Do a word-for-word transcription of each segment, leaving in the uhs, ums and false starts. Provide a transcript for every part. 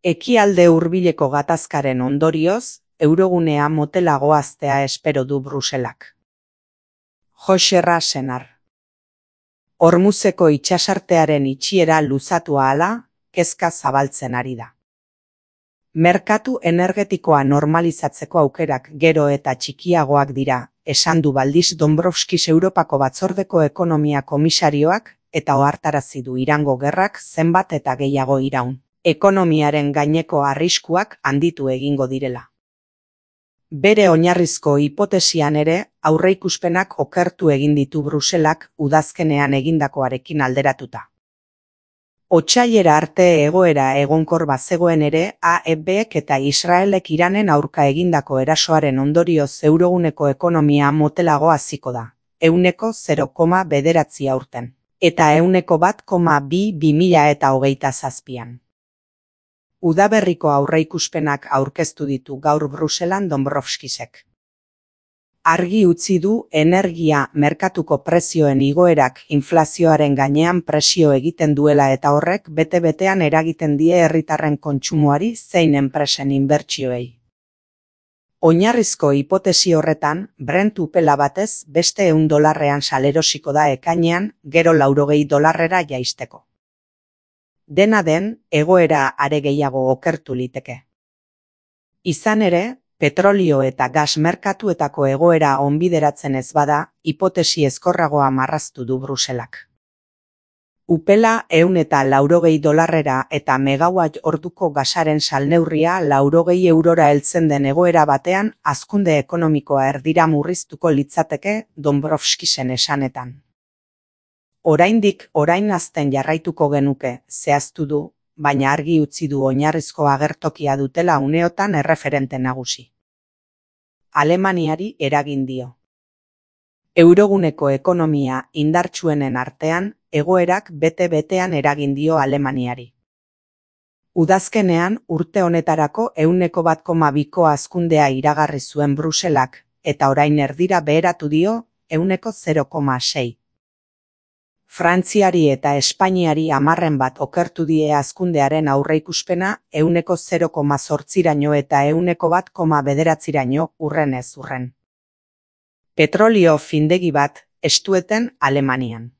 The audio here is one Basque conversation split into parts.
Ekialde hurbileko gatazkaren ondorioz, eurogunea motelago haztea espero du Bruselak. José Senar. Hormuzeko itsasartearen itxiera luzatu ahala, kezka zabaltzen ari da. Merkatu energetikoa normalizatzeko aukerak gero eta txikiagoak dira, esan du Valdis Dombrovskis Europako Batzordeko Ekonomia Komisarioak, eta ohartarazi du Irango gerrak zenbat eta gehiago iraun. Ekonomiaren gaineko arriskuak handitu egingo direla. Bere oinarrizko hipotesian ere, aurreikuspenak okertu egin ditu Bruselak udazkenean egindakoarekin alderatuta. Otsailera arte egoera egonkor bazegoen ere, A E Bek eta Israelek Iranen aurka egindako erasoaren ondorioz euroguneko ekonomia motelago haziko da, ehuneko zero koma bederatzi aurten, eta ehuneko bat koma bi bi mila eta hogeita zazpian. Udaberriko aurreikuspenak aurkeztu ditu gaur Bruselan Dombrovskisek. Argi utzi du energia merkatuko prezioen igoerak inflazioaren gainean presio egiten duela eta horrek bete-betean eragiten die herritarren kontsumoari zein enpresen inbertsioei. Oinarrizko hipotesi horretan, Brent upela batez beste ehun dolarrean salerosiko da ekainean, gero laurogei dolarrera jaisteko. Dena den, egoera are gehiago okertu liteke. Izan ere, petrolio eta gas merkatuetako egoera onbideratzen ez bada, hipotesi ezkorragoa marraztu du Bruselak. Upela ehun eta laurogei dolarrera eta megawatt orduko gasaren salneurria laurogei eurora heltzen den egoera batean hazkunde ekonomikoa erdira murriztuko litzateke Dombrovskisen esanetan. Oraindik orain hazten jarraituko genuke, zehaztu du, baina argi utzi du oinarrizko agertokia dutela uneotan erreferente nagusi. Alemaniari eragin dio. Euroguneko ekonomia indartsuenen artean, egoerak bete-betean eragin dio Alemaniari. Udazkenean urte honetarako ehuneko bat koma biko hazkundea iragarri zuen Bruselak, eta orain erdira beheratu dio ehuneko zero koma sei. Frantziari eta Espainiari hamarren bat okertu die hazkundearen aurreikuspena ehuneko zero koma zortziraino eta ehuneko bat koma bederatziraino urren ez urren. Petrolio findegi bat estueten Alemanian.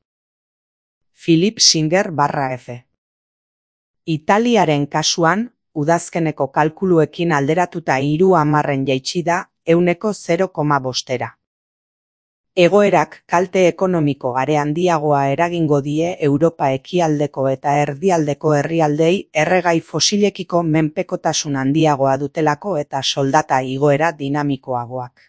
Philip Singer barra F. Italiaren kasuan, udazkeneko kalkuluekin alderatuta hiru hamarren jaitsi da ehuneko zero koma bostera. Egoerak kalte ekonomiko are handiagoa eragingo die Europa ekialdeko eta erdialdeko herrialdei erregai fosilekiko menpekotasun handiagoa dutelako eta soldata igoera dinamikoagoak.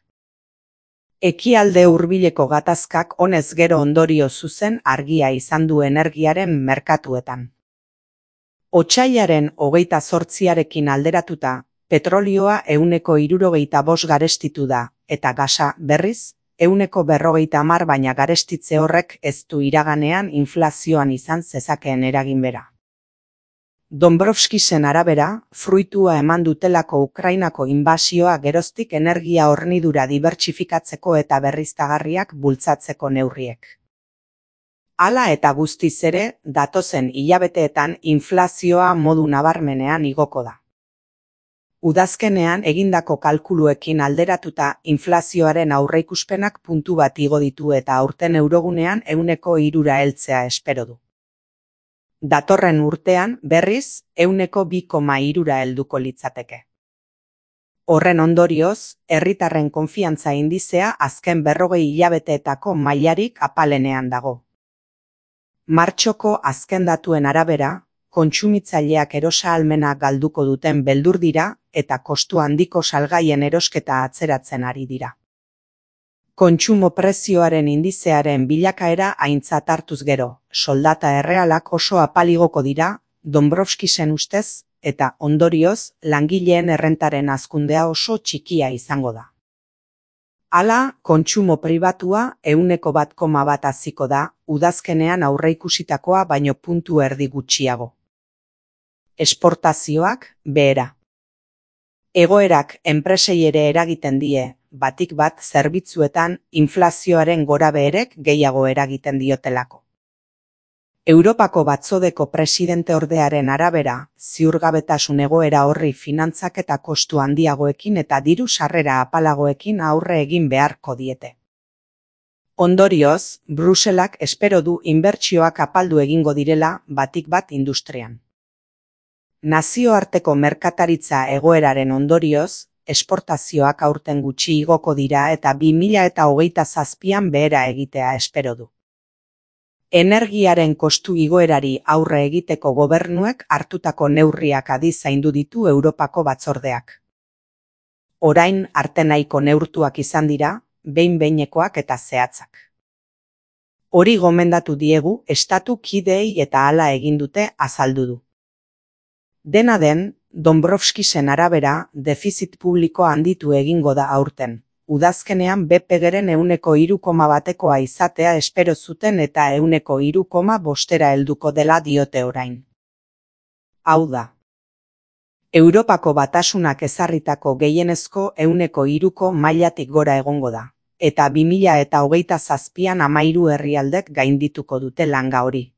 Ekialde hurbileko gatazkak honez gero ondorio zuzen argia izan du energiaren merkatuetan. Otsailaren hogeita zortziarekin alderatuta, petrolioa ehuneko hirurogeita bost garestitu da, eta gasa berriz, ehuneko berrogeita hamar baina garestitze horrek ez du iraganean inflazioan izan zezakeen eragin bera. Dombrovskisen arabera, fruitua eman dutelako Ukrainako inbasioa geroztik energia hornidura dibertsifikatzeko eta berriztagarriak bultzatzeko neurriek. Hala eta guztiz ere, datozen hilabeteetan inflazioa modu nabarmenean igoko da. Udazkenean egindako kalkuluekin alderatuta inflazioaren aurreikuspenak puntu bat igo ditu eta aurten eurogunean ehuneko hirura heltzea espero du. Datorren urtean, berriz, ehuneko bi koma hirura helduko litzateke. Horren ondorioz, herritarren konfiantza indizea azken berrogei hilabeteetako mailarik apalenean dago. Martxoko azken datuen arabera, kontsumitzaileak erosa-ahalmena galduko duten beldur dira eta kostu handiko salgaien erosketa atzeratzen ari dira. Kontsumo prezioaren indizearen bilakaera aintzat hartuz gero, soldata errealak oso apaligoko dira, Dombrovskisen ustez, eta ondorioz, langileen errentaren hazkundea oso txikia izango da. Hala, kontsumo pribatua ehuneko bat koma bat haziko da, udazkenean aurreikusitakoa baino puntu erdi gutxiago. Esportazioak behera. Egoerak enpresei ere eragiten die, batik bat zerbitzuetan inflazioaren gorabeherek gehiago eragiten diotelako. Europako batzodeko presidenteordearen arabera, ziurgabetasun egoera horri finantzak eta kostu handiagoekin eta diru sarrera apalagoekin aurre egin beharko diete. Ondorioz, Bruselak espero du inbertsioak apaldu egingo direla batik bat industrian. Nazioarteko merkataritza egoeraren ondorioz, esportazioak aurten gutxi igoko dira eta bi mila hogeita zazpian behera egitea espero du. Energiaren kostu igoerari aurre egiteko gobernuek hartutako neurriak adi zaindu ditu Europako batzordeak. Orain arte nahiko neurtuak izan dira, behin-behinekoak eta zehatzak. Hori gomendatu diegu estatu kideei eta hala egin dute azaldu du. Dena den, Dombrovskisen arabera, defizit publikoa handitu egingo da aurten. Udazkenean B P G-ren ehuneko hiru koma batekoa izatea espero zuten eta ehuneko hiru koma bostera helduko dela diote orain. Hau da. Europako batasunak ezarritako gehienezko ehuneko hiruko mailatik gora egongo da, eta bi mila hogeita zazpian hamahiru herrialdek gaindituko dute langa hori.